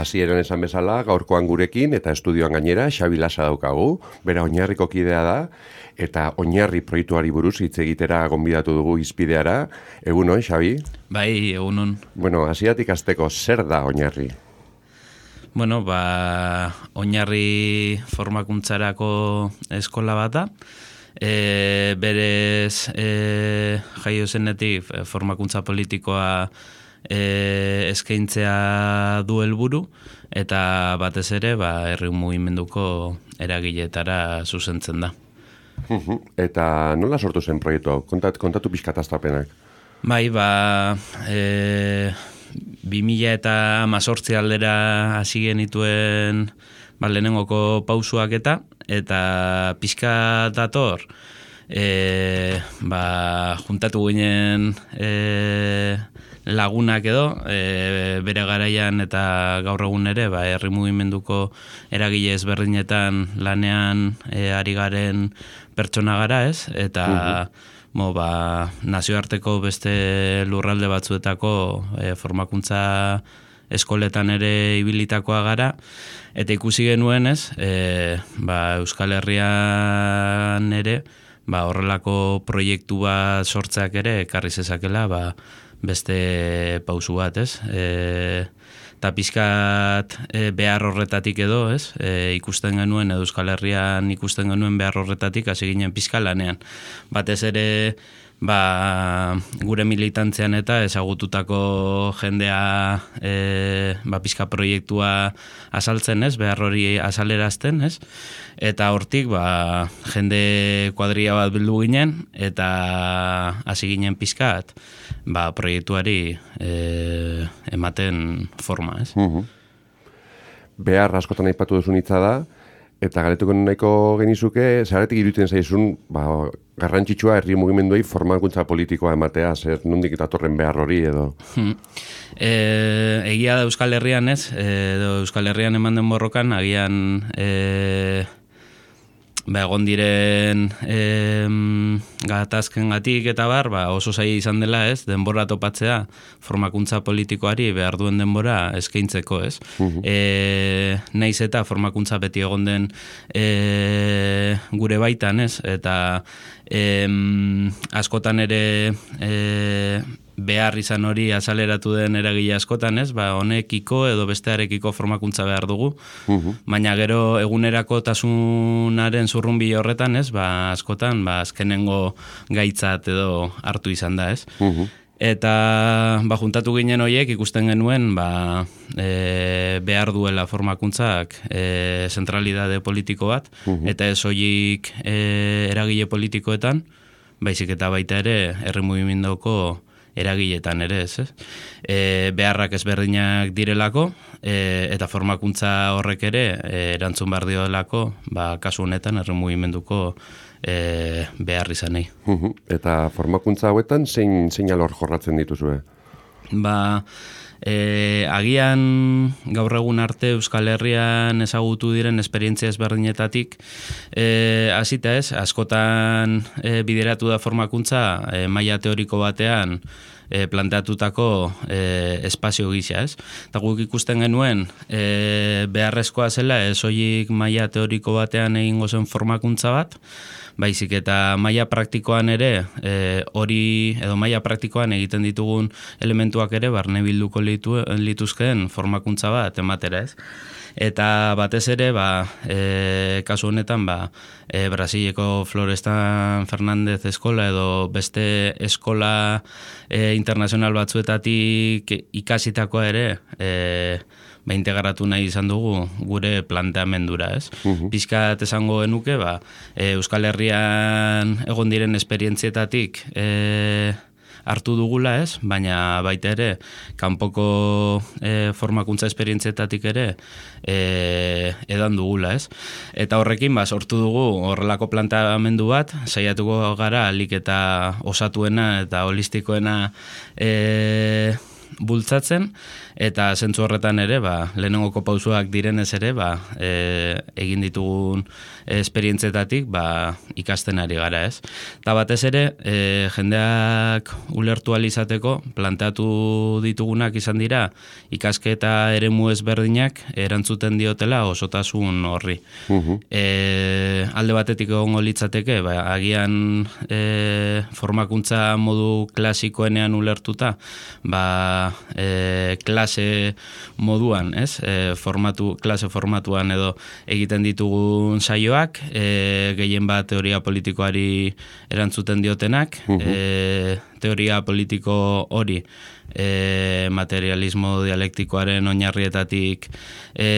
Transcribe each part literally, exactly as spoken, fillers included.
hasieran esan bezala, gaurkoan gurekin eta estudioan gainera, Xabi Lasa daukagu, bera Oinarriko kidea da, eta Oinarri proiektuari buruz hitz egitera gonbidatu dugu izpideara. Egunon, Xabi? Bai, egunon. Bueno, hasieratik hasteko, zer da Oinarri? Bueno, ba, Oinarri formakuntzarako eskola bat da. E, berez e, jaio zenetik formakuntza politikoa e, eskaintzea du helburu eta batez ere ba, herri mugimenduko eragiletara zuzentzen da. Eta nola sortu zen proiektu hau? Kontat, kontatu pixkat astapenak. Bai, ba, e, bi mila eta hamazortzi aldera hasi genituen ba, lehenengoko pausuak eta eta pixka dator e, ba, juntatu ginen e, lagunak edo e, bere garaian eta gaur egun ere ba, herri mugimenduko eragile ezberdinetan lanean e, ari garen pertsona gara, ez? Eta uh-huh. Mo, ba, nazioarteko beste lurralde batzuetako e, formakuntza eskoletan ere ibilitakoa gara, eta ikusi genuen, ez, e, ba, Euskal Herrian ere, ba, horrelako proiektu bat sortzeak ere ekarri zezakela, ba, beste pausu bat, ez? E, eta pixkat e, behar horretatik edo, ez? E, ikusten genuen, edo Euskal Herrian ikusten genuen behar horretatik, hasi ginen pixka lanean. Batez ere, ba, gure militantzean eta ezagututako jendea e, ba, pixka proiektua azaltzen, ez? Behar hori azalerazten, ez? Eta hortik, ba, jende kuadria bat bildu ginen, eta hasi ginen pixkat, ba, proiektuari e, ematen forma, ez? Uh-huh. Behar askotan aipatu duzun hitza da, eta galetuko nahiko genizuke, zergatik iruditzen zaizun, ba, garrantzitsua herri mugimenduei formakuntza politikoa ematea, zer nondik datorren behar hori edo? Hmm. E, egia da Euskal Herrian, ez? Edo Euskal Herrian eman den borrokan, agian e, ba, egon diren e, gatazken gatik eta bar, ba, oso zaila izan dela, ez? Denbora topatzea formakuntza politikoari behar duen denbora eskaintzeko, ez? Uh-huh. E, naiz eta formakuntza beti egon den e, gure baitan, ez? Eta e, askotan ere e, behar izan hori azaleratu den eragile askotan, ez? Ba, honekiko edo bestearekiko formakuntza behar dugu. Uh-huh. Baina gero egunerako tasunaren zurrunbi horretan, ez? Ba, askotan, ba, azkenengo gaitzat edo hartu izan da, ez? Uh-huh. Eta ba, juntatu ginen horiek ikusten genuen ba, e, behar duela formakuntzak e, zentralidade politiko bat, uh-huh. eta ez horiek e, eragile politikoetan, baizik eta baita ere herri mugimenduko eragiletan ere, ez, ez? E, beharrak ezberdinak direlako, e, eta formakuntza horrek ere e, erantzun behar diolako, ba, kasu honetan herri mugimenduko e, behar izanei. Uh-huh. Eta formakuntza hauetan zein, zein alor jorratzen dituzue? Ba, e, agian gaur egun arte Euskal Herrian ezagutu diren esperientzia ezberdinetatik e, hasita, ez, askotan e, bideratu da formakuntza e, maila teoriko batean e, planteatutako e, espazio gisa, ez? Eta guk ikusten genuen e, beharrezkoa zela ez horiek maila teoriko batean egingo zen formakuntza bat, baizik eta maila praktikoan ere e, hori edo maila praktikoan egiten ditugun elementuak ere barne bilduko litu, lituzkeen formakuntza bat ematera, ez? Eta batez ere, ba, e, kasu honetan, ba, e, Brasileko Florestan Fernandez eskola edo beste eskola e, internazional batzuetatik ikasitakoa ere e, ba, integratu nahi izan dugu gure planteamendura, ez? Uh-huh. Pixkat esango genuke, ba, e, Euskal Herrian egon diren esperientzietatik e, hartu dugula, ez? Baina baita ere, kanpoko e, formakuntza esperientzietatik ere e, edan dugula, ez? Eta horrekin, ba, sortu dugu horrelako planteamendu bat, saiatuko gara alik eta osatuena eta holistikoena e, bultzatzen, eta zentzu horretan ere, ba, lehenengoko pausuak direnez ere, ba, e, egin ditugun esperientzetatik ba, ikasten ari gara, ez? Eta batez ere, e, jendeak ulertu ahal izateko, planteatu ditugunak izan dira, ikasketa eremu ezberdinak erantzuten diotela osotasun horri. Uh-huh. E, alde batetik egongo litzateke, ba, agian e, formakuntza modu klasikoenean ulertuta, ba, e, klase moduan, ez? E, formatu, klase formatuan edo egiten ditugun saioak, e, gehien bat teoria politikoari erantzuten diotenak, uh-huh. e, teoria politiko hori e, materialismo dialektikoaren oinarrietatik e,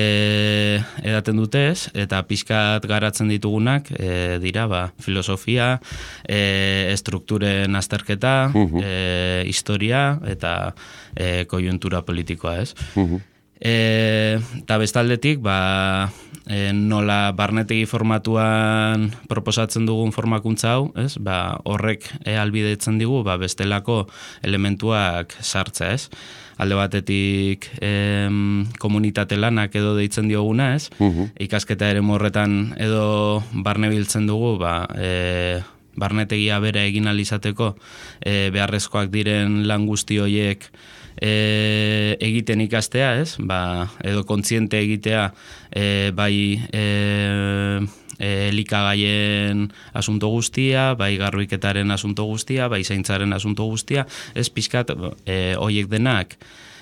edaten dutez, eta pixkat garatzen ditugunak e, dira, ba, filosofia, e, estrukturen azterketa, uh-huh. e, historia eta e, koiuntura politikoa, ez? Uh-huh. E, eta bestaldetik, ba, e, nola barnetegi formatuan proposatzen dugun formakuntza hau, ez? Ba, horrek e, albidetzen digu, ba, bestelako elementuak sartza, ez? Alde batetik em, komunitate lanak edo deitzen dioguna, ez? Uh-huh. Ikasketa ere morretan edo barne biltzen dugu, ba, e, barnetegia bera egin alizateko e, beharrezkoak diren lan guzti horiek E, egiten ikastea, ez? Ba, edo kontziente egitea e, bai e, e, elikagaien asunto guztia, bai garbiketaren asunto guztia, bai zaintzaren asunto guztia, ez pixkat e, horiek denak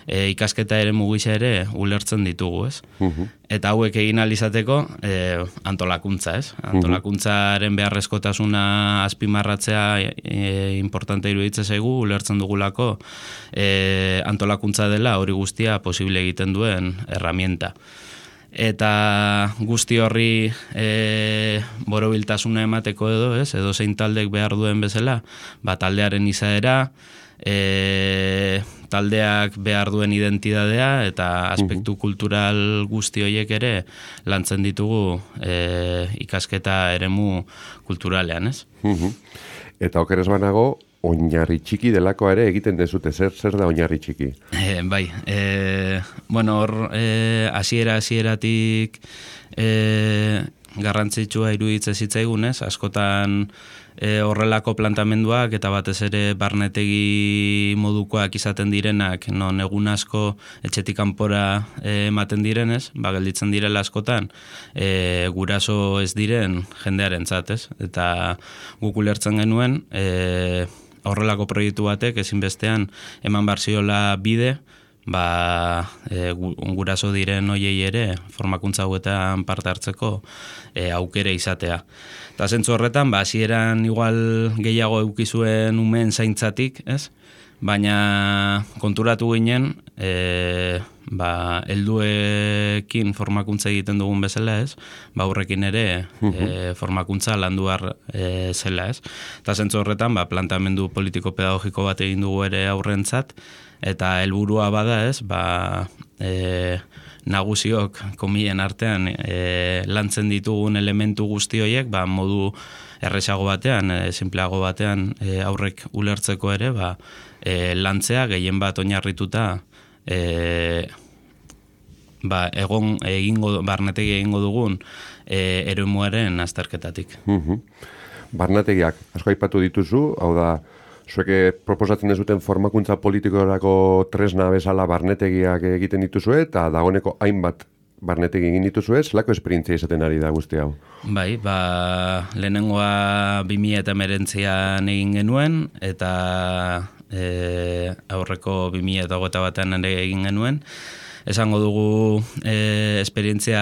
e, ikasketa ere mugisa ere ulertzen ditugu, ez? Uh-huh. Eta hauek egin alizateko e, antolakuntza, ez? Antolakuntzaren beharrezkotasuna azpimarratzea e, importante iruditzen zaigu, ulertzen dugulako e, antolakuntza dela hori guztia posible egiten duen herramienta. Eta guzti horri e, borobiltasuna emateko edo, ez? Edo zein taldek behar duen bezala, ba, taldearen izaera, E, taldeak behar duen identidadea eta aspektu uh-huh. kultural guzti horiek ere lantzen ditugu e, ikasketa eremu kulturalean, ez? Uh-huh. Eta okeres banago, oinarri txiki delako ere egiten dezute, zer zer da oinarri txiki? E, bai, e, bueno, hor e, hasiera hasieratik e, garrantzitsua iruditzen zitzaigun, ez? Askotan E, horrelako plantamenduak eta batez ere barnetegi modukoak izaten direnak, non egun asko etxetik kanpora e, ematen direnez, ba, gelditzen direla askotan, e, guraso ez diren jendearentzat, ez? Eta guk ulertzen genuen, e, horrelako proiektu batek ezinbestean eman behar ziola bide, ba, e, guraso diren hoiei ere formakuntza hauetan parte hartzeko e, aukere izatea. Eta zentzu horretan, ba, hasieran igual gehiago eukizuen umeen zaintzatik, ez? Baina konturatu ginen, e, ba, helduekin formakuntza egiten dugun bezala, ez? Ba, aurrekin ere e, formakuntza landuar e, zela, ez? Eta zentzu horretan, ba, plantamendu politiko-pedagogiko bat egin dugu ere aurrentzat, eta helburua bada, ez? Ba, e, nagusiok komien artean e, lantzen ditugun elementu guzti horiek, ba, modu erresago batean, e, simpleago batean e, aurrek ulertzeko ere, ba, e, lantzea gehien bat oinarrituta e, ba, egon egingo barnetegi egingo dugun e, eremuaren azterketatik. Uh-huh. Barnetegiak asko aipatu dituzu, hau da, zueke proposatzen dezuten formakuntza politikorako tresna bezala barnetegiak egiten dituzue, eta dagoeneko hainbat barnetegi egin dituzue, zelako esperientzia izaten ari da guzti hau? Bai, ba, lehenengoa bi mila hemeretzian egin genuen, eta e, aurreko bi mila hogeita batean ere egin genuen. Esango dugu e, esperientzia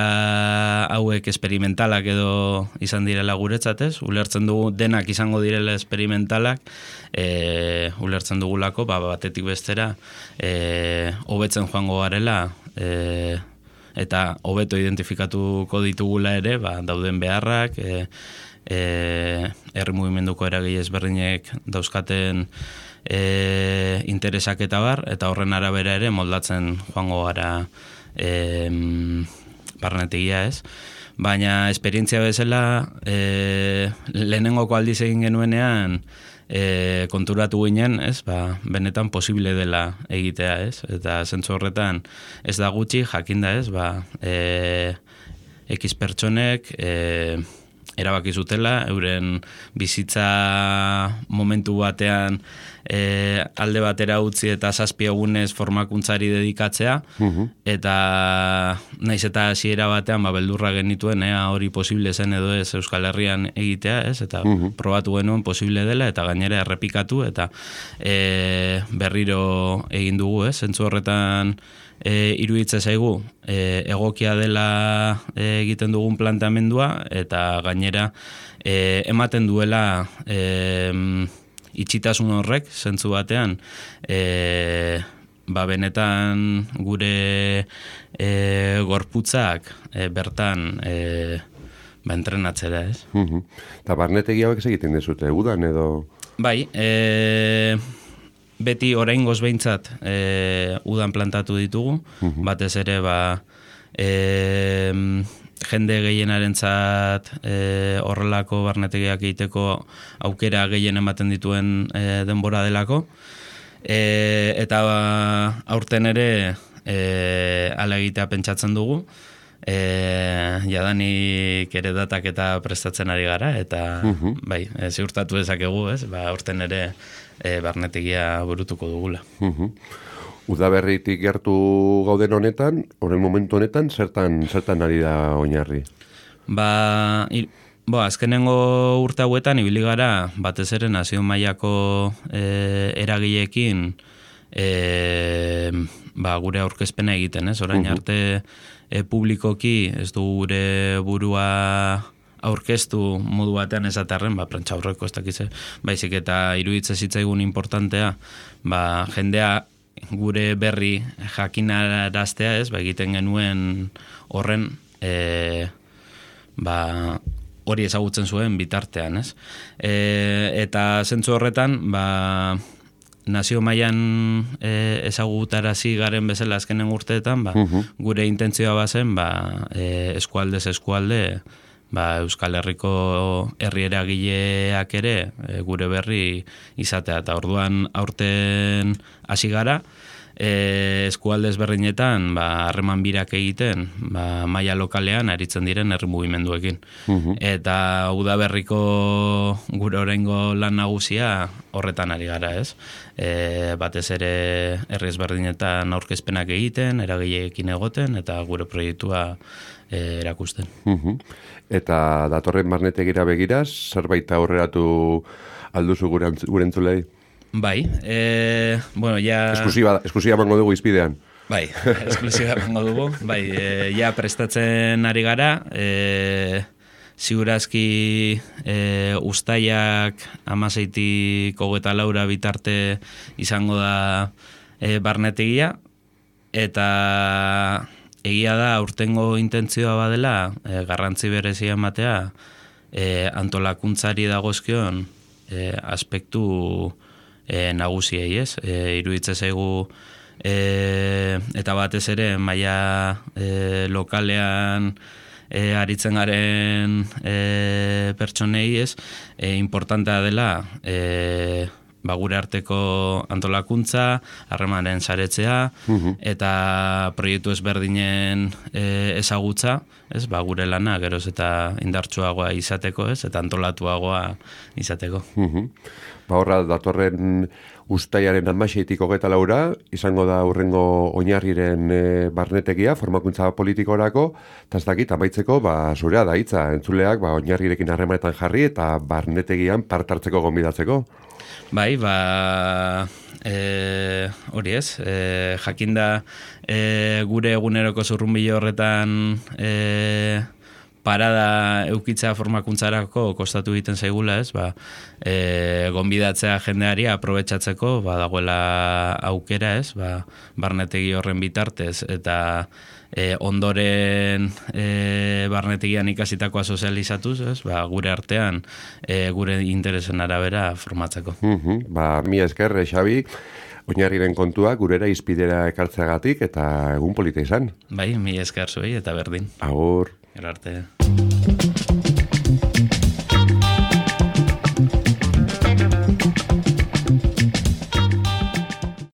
hauek esperimentalak edo izan direla guretzatez, ulertzen dugu denak izango direla esperimentalak, e, ulertzen dugulako, ba, batetik bestera, e, hobetzen joango garela, e, eta hobeto identifikatuko ditugula ere, ba, dauden beharrak, e, e, herri mugimenduko eragile ezberdinek dauzkaten E, interesak eta bar, eta horren arabera ere moldatzen joango gara e, barnetegia, ez? Baina esperientzia bezala e, lehenengoko aldiz egin genuenean e, konturatu ginen, ez, ba, benetan posible dela egitea, ez, eta zentzu horretan ez da gutxi, jakinda, ez, ba, e, X pertsonek e, erabaki zutela, euren bizitza momentu batean e, alde batera utzi eta zazpi egunez formakuntzari dedikatzea, uh-huh. eta naiz eta hasiera batean ba, beldurra genituen, ea hori posible zen edo ez Euskal Herrian egitea, ez, eta uh-huh. probatu genuen posible dela, eta gainera errepikatu, eta e, berriro egin dugu, ez, zentzu horretan E, iruditza zaigu e, egokia dela e, egiten dugun planteamendua eta gainera e, ematen duela e, itxitasun horrek zentzu batean e, ba benetan gure e, gorputzak e, bertan e, ba entrenatzera, ez? Mhm. Eta barnetegi hauek egiten dezute, udan edo? Bai, e, beti oraingoz behintzat e, udan plantatu ditugu, uh-huh. batez ere ba, e, jende gehienarentzat e, horrelako barnetegiak egiteko aukera gehien ematen dituen e, denbora delako, e, eta ba, aurten ere e, ala egitea pentsatzen dugu, e, jadanik ere datak eta prestatzen ari gara, eta uh-huh. bai, e, ziurtatu dezakegu, ez, ba, aurten ere E, barnetegia burutuko dugula. Uh-huh. Udaberritik gertu gauden honetan, horren momentu honetan, zertan, zertan ari da oinarri? Ba, ir, bo, azkenengo urte hauetan, ibili gara, batez ere nazio mailako e, eragileekin e, ba, gure aurkezpena egiten, ez? Orain uh-huh. arte e, publikoki ez du gure burua aurkeztu modu batean esatarren, ba, prentsa aurreko ez dakize, baizik eta iruditze zitzaigun importantea, ba, jendea gure berri jakinaraztea, ez, ba, egiten genuen horren, e, ba, hori ezagutzen zuen bitartean, ez. E, eta zentzu horretan, ba, nazio mailan e, ezagutarazi garen bezala azkenen urteetan, ba, uh-huh. gure intentzioa bazen, ba, e, eskualdez eskualde, ba, Euskal Herriko herri eragileak ere e, gure berri izatea, eta orduan aurten hasi gara, e, eskualde ezberdinetan ba, harreman birak egiten, ba, maila lokalean aritzen diren herri mugimenduekin. Uh-huh. Eta udaberriko gure oraingo lan nagusia horretan ari gara, ez? E, batez ere herri ezberdinetan aurkezpenak egiten, eragileekin egoten, eta gure proiektua e, erakusten. Uh-huh. Eta datorren barnetegira begiraz, zerbait aurreratu alduzu gure, gure entzulei? Bai, e, bueno, ja... Esklusiba, esklusiba mango dugu izpidean. Bai, esklusiba mango dugu. Bai, e, ja prestatzen ari gara, e, ziurazki e, ustaiak amaseitik hogeta laura bitarte izango da e, barnetegia, eta egia da aurtengo intentzioa badela e, garrantzi berezia ematea e, antolakuntzari dagozkion e, aspektu e, nagusiei, ez? E, iruditze zaigu e, eta batez ere maila e, lokalean e, aritzen garen e, pertsonei, ez? E, importantea dela e, ba, gure arteko antolakuntza, harremanen saretzea, uh-huh. eta proiektu ezberdinen e, ezagutza, ez, ba, gure lana geroz eta indartsuagoa izateko, ez, eta antolatuagoa izateko. Uh-huh. Ba, horra, datorren ustaiaren hamaseitik hogeta laura, izango da hurrengo oinarriren e, barnetegia, formakuntza politikorako, eta ez dakit, amaitzeko, ba, zurea da hitza, entzuleak, ba, oinarrirekin harremanetan jarri, eta barnetegian partartzeko gonbidatzeko. Bai, ba, e, hori ez, e, jakinda e, gure eguneroko zurrunbilo horretan e, parada eukitza formakuntzarako kostatu egiten zaigula, ez, ba, e, gonbidatzea jendeari aprobetxatzeko, ba, dagoela aukera, ez, ba, barnetegi horren bitartez, eta e, ondoren e, barnetegian ikasitakoa sozializatuz, ez, ba, gure artean e, gure interesen arabera formatzeko. Uh-huh. Ba, mi esker, Xabi, oinarriren kontua gurera izpidera ekartzeagatik eta egun polita izan. Bai, mi esker zuei eta berdin. Agur. Gero arte.